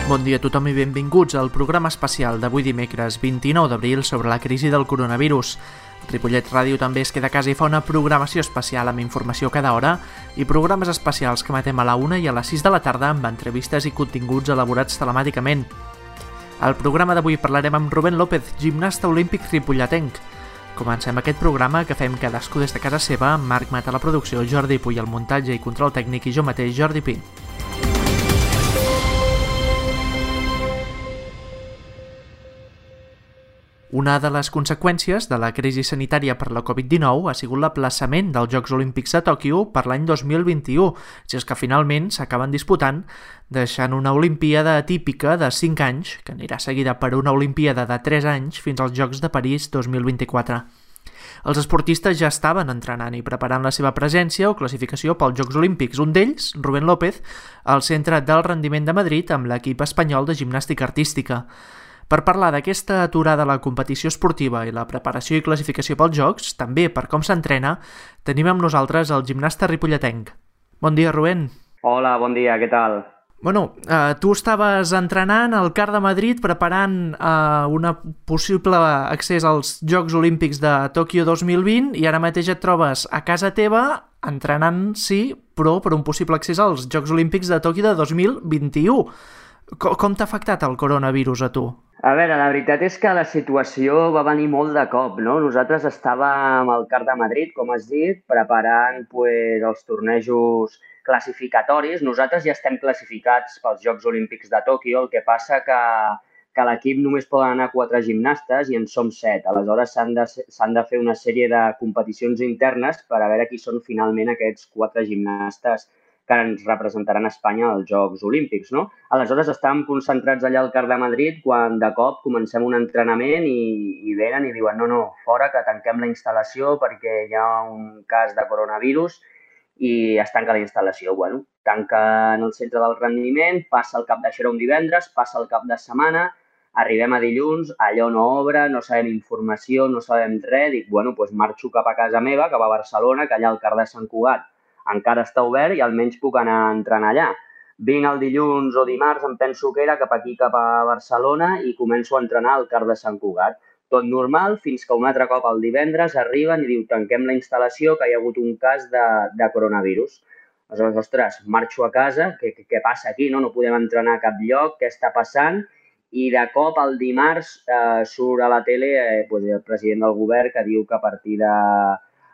Bon dia a tothom i benvinguts al programa especial d'avui dimecres 29 d'abril sobre la crisi del coronavirus. Ripollet Ràdio també es queda a casa i fa una programació especial amb informació cada hora i programes especials que emetem a la 1 i a les 6 de la tarda amb entrevistes i continguts elaborats telemàticament. Al programa d'avui parlarem amb Rubén López, gimnasta olímpic ripolletenc. Comencem aquest programa que fem cadascú des de casa seva, Marc Mata a la producció, Jordi Puy al muntatge i control tècnic i jo mateix, Jordi Pi. Una de les conseqüències de la crisi sanitària per la Covid-19 ha sigut l'aplaçament dels Jocs Olímpics de Tòquio per l'any 2021, si és que finalment s'acaben disputant, deixant una Olimpíada atípica de 5 anys, que anirà seguida per una Olimpíada de 3 anys fins als Jocs de París 2024. Els esportistes ja estaven entrenant i preparant la seva presència o classificació pels Jocs Olímpics. Un d'ells, Rubén López, al Centre del Rendiment de Madrid amb l'equip espanyol de gimnàstica artística. Per parlar d'aquesta aturada a la competició esportiva i la preparació i classificació pels Jocs, també per com s'entrena, tenim amb nosaltres el gimnasta ripolletenc. Bon dia, Rubén. Hola, bon dia, què tal? Tu estaves entrenant al CAR de Madrid preparant un possible accés als Jocs Olímpics de Tòquio 2020 i ara mateix et trobes a casa teva entrenant, sí, però per un possible accés als Jocs Olímpics de Tòquio de 2021. Com t'ha afectat el coronavirus a tu? A veure, la veritat és que la situació va venir molt de cop, no? Nosaltres estàvem al CAR de Madrid, com has dit, preparant els tornejos classificatoris. Nosaltres ja estem classificats pels Jocs Olímpics de Tòquio, el que passa que a l'equip només poden anar 4 gimnastes i en som 7. Aleshores s'han de fer una sèrie de competicions internes per a veure qui són finalment aquests 4 gimnastes que ens representaran a Espanya als Jocs Olímpics, no? Aleshores estàvem concentrats allà al CAR de Madrid quan de cop comencem un entrenament i venen i diuen no, fora que tanquem la instal·lació perquè hi ha un cas de coronavirus i es tanca la instal·lació. Bueno, tanquen el centre del rendiment, passa el cap d'això un divendres, passa el cap de setmana, arribem a dilluns, allò no obre, no sabem informació, no sabem res, dic, bueno, doncs marxo cap a casa meva, cap a Barcelona, que allà al CAR de Sant Cugat encara està obert i almenys puc anar a entrenar allà. Vinc el dilluns o dimarts, em penso que era cap aquí, cap a Barcelona i començo a entrenar al CAR de Sant Cugat. Tot normal, fins que un altre cop el divendres arriben i diu tanquem la instal·lació que hi ha hagut un cas de coronavirus. Aleshores, ostres, marxo a casa, què passa aquí? No podem entrenar a cap lloc, què està passant? I de cop el dimarts surt a la tele el president del govern que diu que a partir de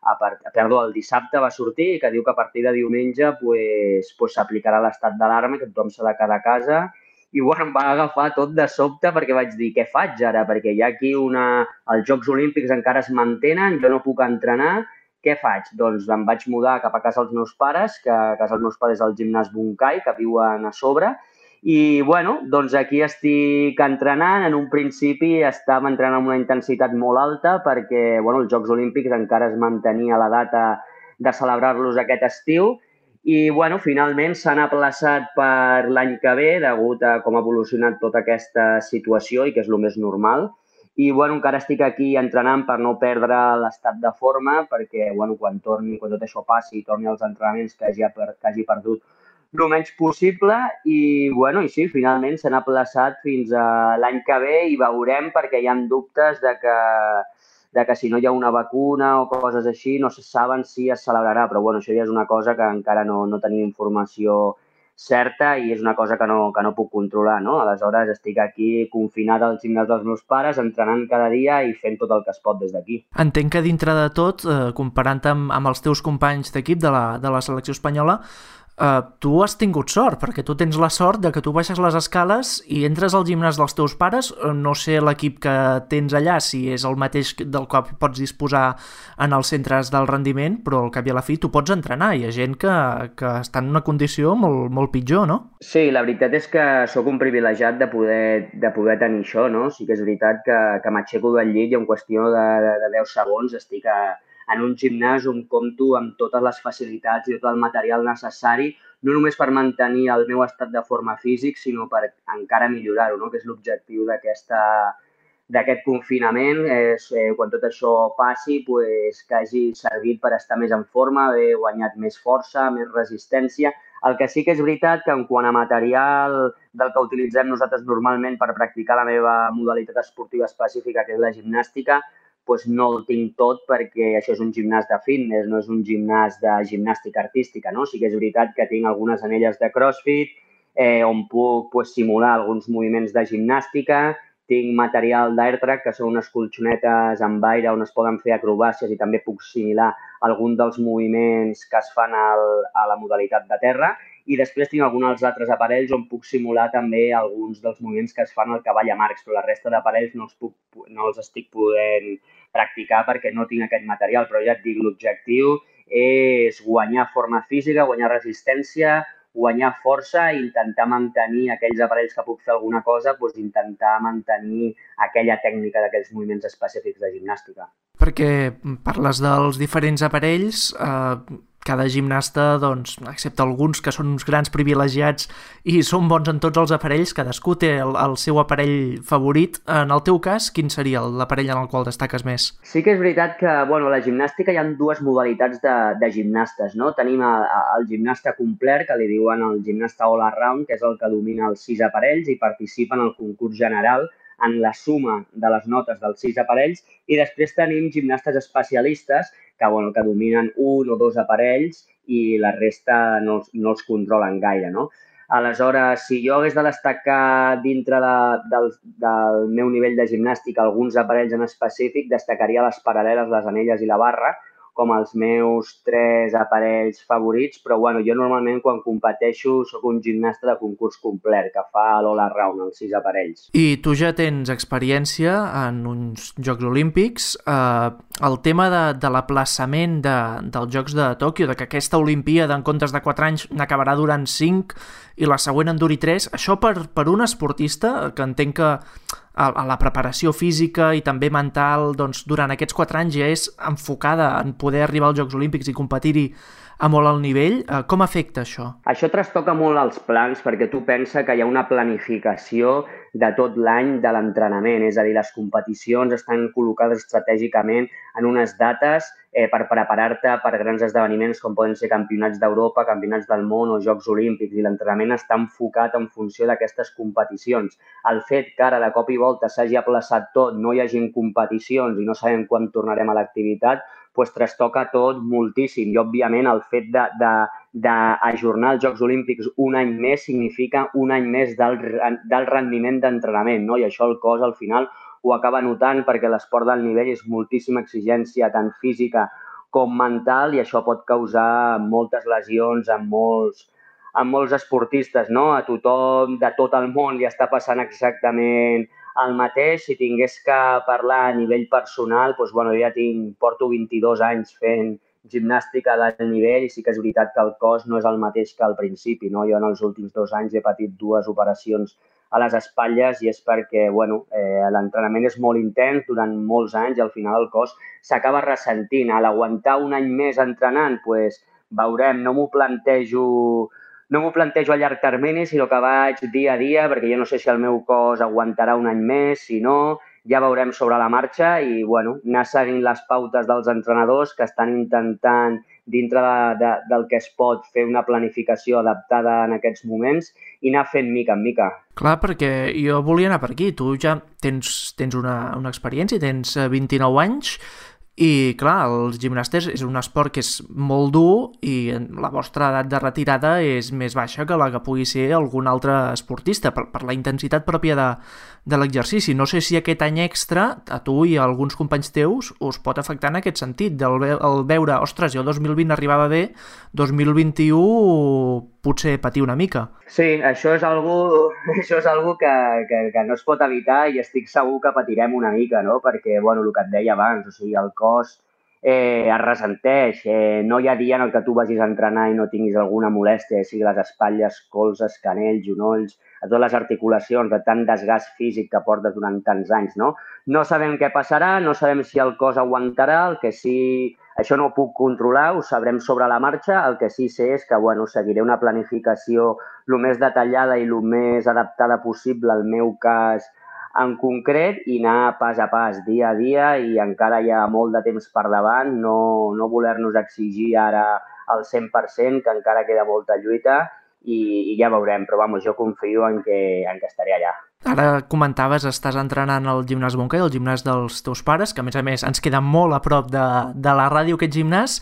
el dissabte va sortir que diu que a partir de diumenge s'aplicarà l'estat d'alarma, que tothom s'ha de quedar a casa. I bueno, em va agafar tot de sobte perquè vaig dir, què faig ara? Perquè hi ha aquí els Jocs Olímpics encara es mantenen, jo no puc entrenar, què faig? Doncs em vaig mudar cap a casa dels meus pares, que a casa dels meus pares és el gimnàs Bunkai, que viuen a sobre. I, bueno, doncs aquí estic entrenant. En un principi estava entrenant amb una intensitat molt alta perquè, bueno, els Jocs Olímpics encara es mantenia la data de celebrar-los aquest estiu i, bueno, finalment s'han aplaçat per l'any que ve degut a com ha evolucionat tota aquesta situació i que és el més normal. I, bueno, encara estic aquí entrenant per no perdre l'estat de forma perquè, bueno, quan tot això passi i torni als entrenaments que hagi perdut el menys possible i, bueno, i sí, finalment s'han aplaçat fins a l'any que ve i veurem perquè hi ha dubtes de que si no hi ha una vacuna o coses així no se saben si es celebrarà, però bueno, això ja és una cosa que encara no tenim informació certa i és una cosa que no puc controlar, no? Aleshores estic aquí confinat al gimnàs dels meus pares, entrenant cada dia i fent tot el que es pot des d'aquí. Entenc que dintre de tot, comparant amb els teus companys d'equip de la selecció espanyola, tu has tingut sort, perquè tu tens la sort de que tu baixes les escales i entres al gimnàs dels teus pares. No sé l'equip que tens allà, si és el mateix del qual pots disposar en els centres del rendiment, però al cap i a la fi tu pots entrenar. Hi ha gent que està en una condició molt, molt pitjor, no? Sí, la veritat és que sóc un privilegiat de poder tenir això, no? Sí que és veritat que m'aixeco del llit i en qüestió de 10 segons estic en un gimnàs on compto amb totes les facilitats i tot el material necessari, no només per mantenir el meu estat de forma físic, sinó per encara millorar-ho, no? Que és l'objectiu d'aquest confinament, és quan tot això passi, que hagi servit per estar més en forma, haver guanyat més força, més resistència. El que sí que és veritat que en quant a material del que utilitzem nosaltres normalment per practicar la meva modalitat esportiva específica, que és la gimnàstica, doncs no el tinc tot perquè això és un gimnàs de fitness, no és un gimnàs de gimnàstica artística, no? Sí que és veritat que tinc algunes anelles de CrossFit, on puc pues, simular alguns moviments de gimnàstica, tinc material d'AirTrack, que són unes colxonetes amb aire on es poden fer acrobàcies i també puc simular algun dels moviments que es fan a la modalitat de terra. I després tinc alguns altres aparells on puc simular també alguns dels moviments que es fan al cavall a marcs, però la resta d'aparells no els estic podent practicar perquè no tinc aquest material. Però ja et dic, l'objectiu és guanyar forma física, guanyar resistència, guanyar força i intentar mantenir aquells aparells que puc fer alguna cosa, doncs intentar mantenir aquella tècnica d'aquells moviments específics de gimnàstica. Perquè parles dels diferents aparells, cada gimnasta, doncs, excepte alguns que són uns grans privilegiats i són bons en tots els aparells, cadascú té el seu aparell favorit. En el teu cas, quin seria l'aparell en el qual destaques més? Sí que és veritat que, bueno, a la gimnàstica hi ha dues modalitats de gimnastes, no? Tenim el gimnasta complet, que li diuen el gimnasta all around, que és el que domina els 6 aparells i participa en el concurs general en la suma de les notes dels 6 aparells, i després tenim gimnastes especialistes que dominen un o dos aparells i la resta no els controlen gaire, no? Aleshores, si jo hagués de destacar dintre del meu nivell de gimnàstica alguns aparells en específic, destacaria les paral·leles, les anelles i la barra com els meus 3 aparells favorits, però bueno, jo normalment quan competeixo soc un gimnasta de concurs complet, que fa l'all-around, els 6 aparells. I tu ja tens experiència en uns Jocs Olímpics. El tema de l'aplaçament dels Jocs de Tòquio, de que aquesta Olimpíada en comptes de 4 anys n'acabarà durant 5 i la següent en duri 3, això per un esportista, que entenc que a la preparació física i també mental, doncs, durant aquests 4 anys ja és enfocada en poder arribar als Jocs Olímpics i competir-hi a molt alt nivell. Com afecta això? Això trastoca molt els plans perquè tu pensa que hi ha una planificació de tot l'any de l'entrenament, és a dir, les competicions estan col·locades estratègicament en unes dates per preparar-te per grans esdeveniments com poden ser campionats d'Europa, campionats del món o Jocs Olímpics, i l'entrenament està enfocat en funció d'aquestes competicions. El fet que ara de cop i volta s'hagi aplaçat tot, no hi hagin competicions i no sabem quan tornarem a l'activitat, doncs trastoca tot moltíssim. I, òbviament, el fet d'ajornar els Jocs Olímpics un any més significa un any més del rendiment d'entrenament, no? I això el cos, al final, ho acaba notant perquè l'esport d'alt nivell és moltíssima exigència, tant física com mental, i això pot causar moltes lesions en molts esportistes, no? A tothom de tot el món li està passant exactament el mateix. Si tingués que parlar a nivell personal, doncs, bueno, porto 22 anys fent gimnàstica d'alt nivell i sí que és veritat que el cos no és el mateix que al principi, no? Jo en els últims 2 anys he patit 2 operacions a les espatlles i és perquè, bueno, l'entrenament és molt intens durant molts anys i al final el cos s'acaba ressentint. A l'aguantar un any més entrenant, doncs veurem, no m'ho plantejo a llarg termini, sinó que vaig dia a dia, perquè jo no sé si el meu cos aguantarà un any més, si no, ja veurem sobre la marxa i, bueno, anar seguint les pautes dels entrenadors que estan intentant, dintre del que es pot, fer una planificació adaptada en aquests moments i anar fent mica en mica. Clar, perquè jo volia anar per aquí. Tu ja tens una experiència, tens 29 anys, i clar, els gimnastes és un esport que és molt dur i la vostra edat de retirada és més baixa que la que pugui ser algun altre esportista per la intensitat pròpia de l'exercici. No sé si aquest any extra a tu i a alguns companys teus us pot afectar en aquest sentit, el veure, ostres, jo 2020 arribava bé, 2021 potser patir una mica. Sí, això és algo que no es pot evitar i estic segur que patirem una mica, no? Perquè, bueno, el que et deia abans, o sigui, el cos es ressenteix. No hi ha dia en el que tu vagis a entrenar i no tinguis alguna molèstia, sigui les espatlles, colzes, canells, genolls, a totes les articulacions, de tant desgast físic que portes durant tants anys, no? No sabem què passarà, no sabem si el cos aguantarà, el que sí... Això no ho puc controlar, ho sabrem sobre la marxa. El que sí sé és que, bueno, seguiré una planificació el més detallada i el més adaptada possible al meu cas en concret i anar pas a pas, dia a dia, i encara hi ha molt de temps per davant, no voler-nos exigir ara al 100%, que encara queda molta lluita, i ja veurem, però vamos, jo confio en que estaré allà. Ara comentaves, estàs entrenant al gimnàs Montcai, el gimnàs dels teus pares, que a més ens queda molt a prop de la ràdio aquest gimnàs.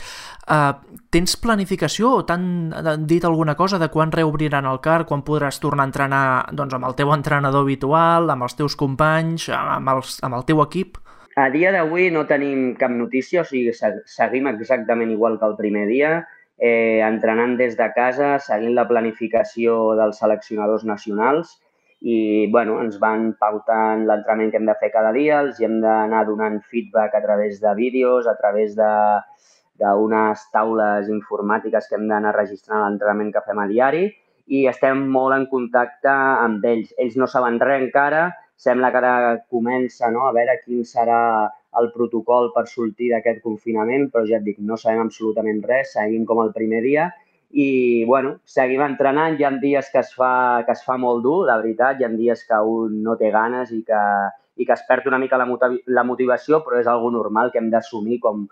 Tens planificació o t'han dit alguna cosa de quan reobriran el CAR, quan podràs tornar a entrenar doncs, amb el teu entrenador habitual, amb els teus companys, amb el teu equip? A dia d'avui no tenim cap notícia, o sigui, seguim exactament igual que el primer dia, entrenant des de casa, seguint la planificació dels seleccionadors nacionals i bueno, ens van pautant l'entrenament que hem de fer cada dia, els hem d'anar donant feedback a través de vídeos, a través d'unes taules informàtiques que hem d'anar registrant l'entrenament que fem a diari i estem molt en contacte amb ells. Ells no saben res encara, sembla que ara comença a veure quin serà el protocol per sortir d'aquest confinament, però ja et dic, no sabem absolutament res, seguim com el primer dia i, bueno, seguim entrenant. Hi ha dies que es fa molt dur, la veritat, hi ha dies que un no té ganes i que es perd una mica la motivació, però és algo normal que hem d'assumir com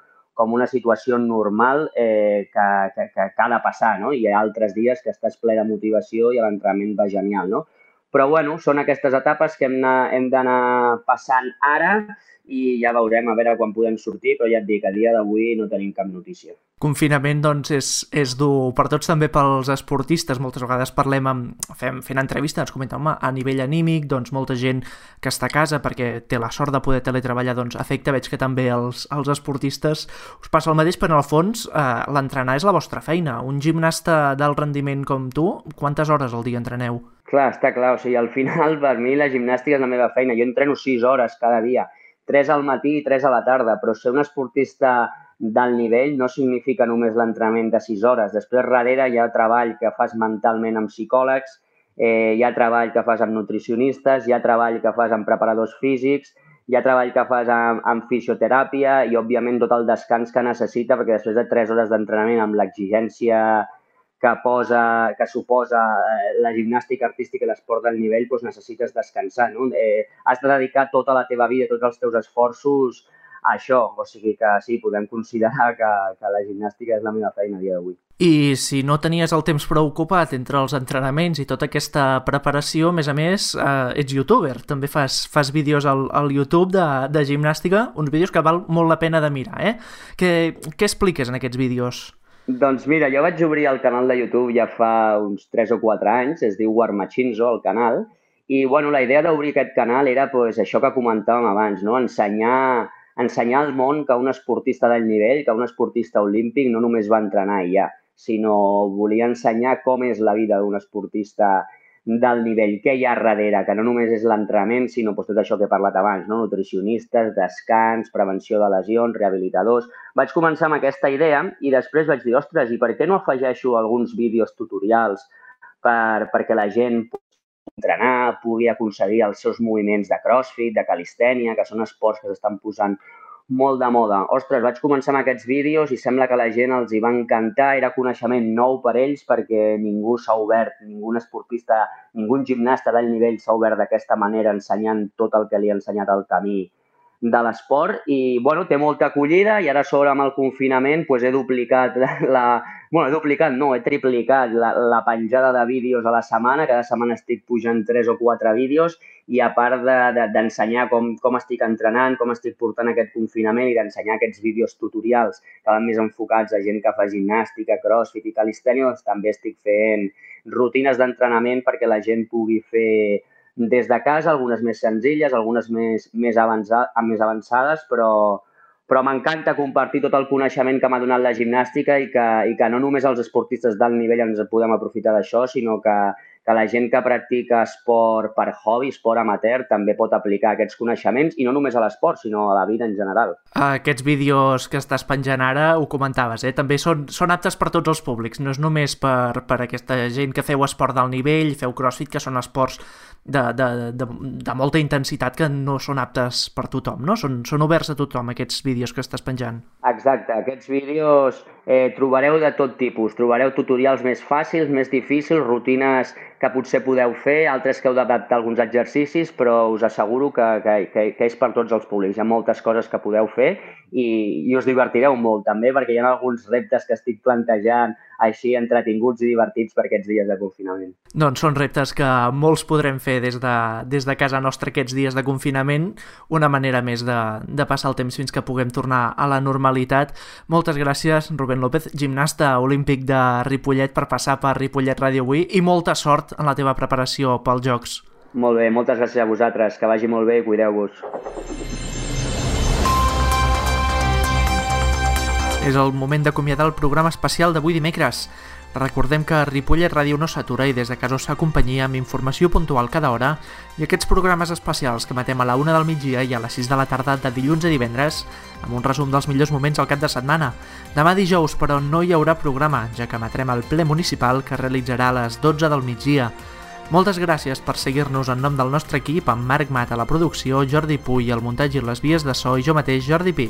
una situació normal que ha de passar, no? Hi ha altres dies que estàs ple de motivació i l'entrenament va genial, no? Però, bueno, són aquestes etapes que hem d'anar passant ara i ja veurem a veure quan podem sortir, però ja et dic, a dia d'avui no tenim cap notícia. Confinament, doncs, és dur per tots, també pels esportistes. Moltes vegades fent entrevistes, ens comenten, home, a nivell anímic, doncs, molta gent que està a casa perquè té la sort de poder teletreballar, doncs, afecta, veig que també els esportistes us passa el mateix, però en el fons l'entrenar és la vostra feina. Un gimnasta d'alt rendiment com tu, quantes hores al dia entreneu? Clar, està clar, o sigui, al final per mi la gimnàstica és la meva feina. Jo entreno 6 hores cada dia, 3 al matí i 3 a la tarda, però ser un esportista d'alt nivell no significa només l'entrenament de 6 hores. Després, darrere, hi ha treball que fas mentalment amb psicòlegs, hi ha treball que fas amb nutricionistes, hi ha treball que fas amb preparadors físics, hi ha treball que fas amb fisioteràpia i, òbviament, tot el descans que necessita, perquè després de 3 hores d'entrenament amb l'exigència que suposa la gimnàstica artística i l'esport del nivell, doncs necessites descansar, no? Has de dedicar tota la teva vida, tots els teus esforços a això. O sigui que sí, podem considerar que la gimnàstica és la meva feina a dia d'avui. I si no tenies el temps prou ocupat entre els entrenaments i tota aquesta preparació, a més, ets youtuber. També fas vídeos al YouTube de gimnàstica, uns vídeos que val molt la pena de mirar, Què expliques en aquests vídeos? Doncs mira, jo vaig obrir el canal de YouTube ja fa uns 3 o 4 anys, es diu Warmachinzo, el canal, i bueno, la idea d'obrir aquest canal era pues, això que comentàvem abans, no? Ensenyar al món que un esportista d'alt nivell, que un esportista olímpic no només va entrenar i ja, sinó volia ensenyar com és la vida d'un esportista del nivell, què hi ha darrere, que no només és l'entrenament, sinó tot això que he parlat abans, no? Nutricionistes, descans, prevenció de lesions, rehabilitadors. Vaig començar amb aquesta idea i després vaig dir, ostres, i per què no afegeixo alguns vídeos tutorials perquè la gent pugui entrenar, pugui aconseguir els seus moviments de crossfit, de calistènia, que són esports que s'estan posant molt de moda. Ostres, vaig començar amb aquests vídeos i sembla que a la gent els hi va encantar. Era coneixement nou per ells perquè ningú s'ha obert, ningú esportista, ningú gimnasta d'alt nivell s'ha obert d'aquesta manera ensenyant tot el que li ha ensenyat el camí de l'esport i, bueno, té molta acollida i ara a sobre amb el confinament doncs he duplicat he triplicat la penjada de vídeos a la setmana. Cada setmana estic pujant 3 o 4 vídeos i a part d'ensenyar com estic entrenant, com estic portant aquest confinament i d'ensenyar aquests vídeos tutorials que van més enfocats a gent que fa gimnàstica, crossfit i calistènia, doncs també estic fent rutines d'entrenament perquè la gent pugui fer des de casa, algunes més senzilles, algunes més avançades, però m'encanta compartir tot el coneixement que m'ha donat la gimnàstica i que no només els esportistes d'alt nivell ens podem aprofitar d'això, sinó que la gent que practica esport per hobby, esport amateur, també pot aplicar aquests coneixements i no només a l'esport, sinó a la vida en general. Aquests vídeos que estàs penjant ara, ho comentaves, també són aptes per tots els públics, no és només per aquesta gent que feu esport d'alt nivell, feu crossfit, que són esports de molta intensitat que no són aptes per tothom, no? Són oberts a tothom, aquests vídeos que estàs penjant. Exacte, aquests vídeos trobareu de tot tipus, trobareu tutorials més fàcils, més difícils, rutines que potser podeu fer, altres que heu d'adaptar alguns exercicis, però us asseguro que és per tots els públics. Hi ha moltes coses que podeu fer i us divertireu molt també perquè hi ha alguns reptes que estic plantejant així entretinguts i divertits per aquests dies de confinament. Doncs són reptes que molts podrem fer des de casa nostra aquests dies de confinament, una manera més de passar el temps fins que puguem tornar a la normalitat. Moltes gràcies, Rubén López, gimnasta olímpic de Ripollet, per passar per Ripollet Ràdio avui, i molta sort en la teva preparació pels Jocs. Molt bé, moltes gràcies a vosaltres, que vagi molt bé i cuideu-vos. És el moment d'acomiadar el programa especial d'avui dimecres. Recordem que Ripollet Ràdio no s'atura i des de casa us fa companyia amb informació puntual cada hora i aquests programes especials que emetem a la 1 del migdia i a les 6 de la tarda de dilluns a divendres amb un resum dels millors moments al cap de setmana. Demà dijous, però, no hi haurà programa, ja que emetrem el ple municipal que realitzarà a les 12 del migdia. Moltes gràcies per seguir-nos en nom del nostre equip, amb Marc Mat a la producció, Jordi Puy al muntatge i les vies de so i jo mateix, Jordi Pi.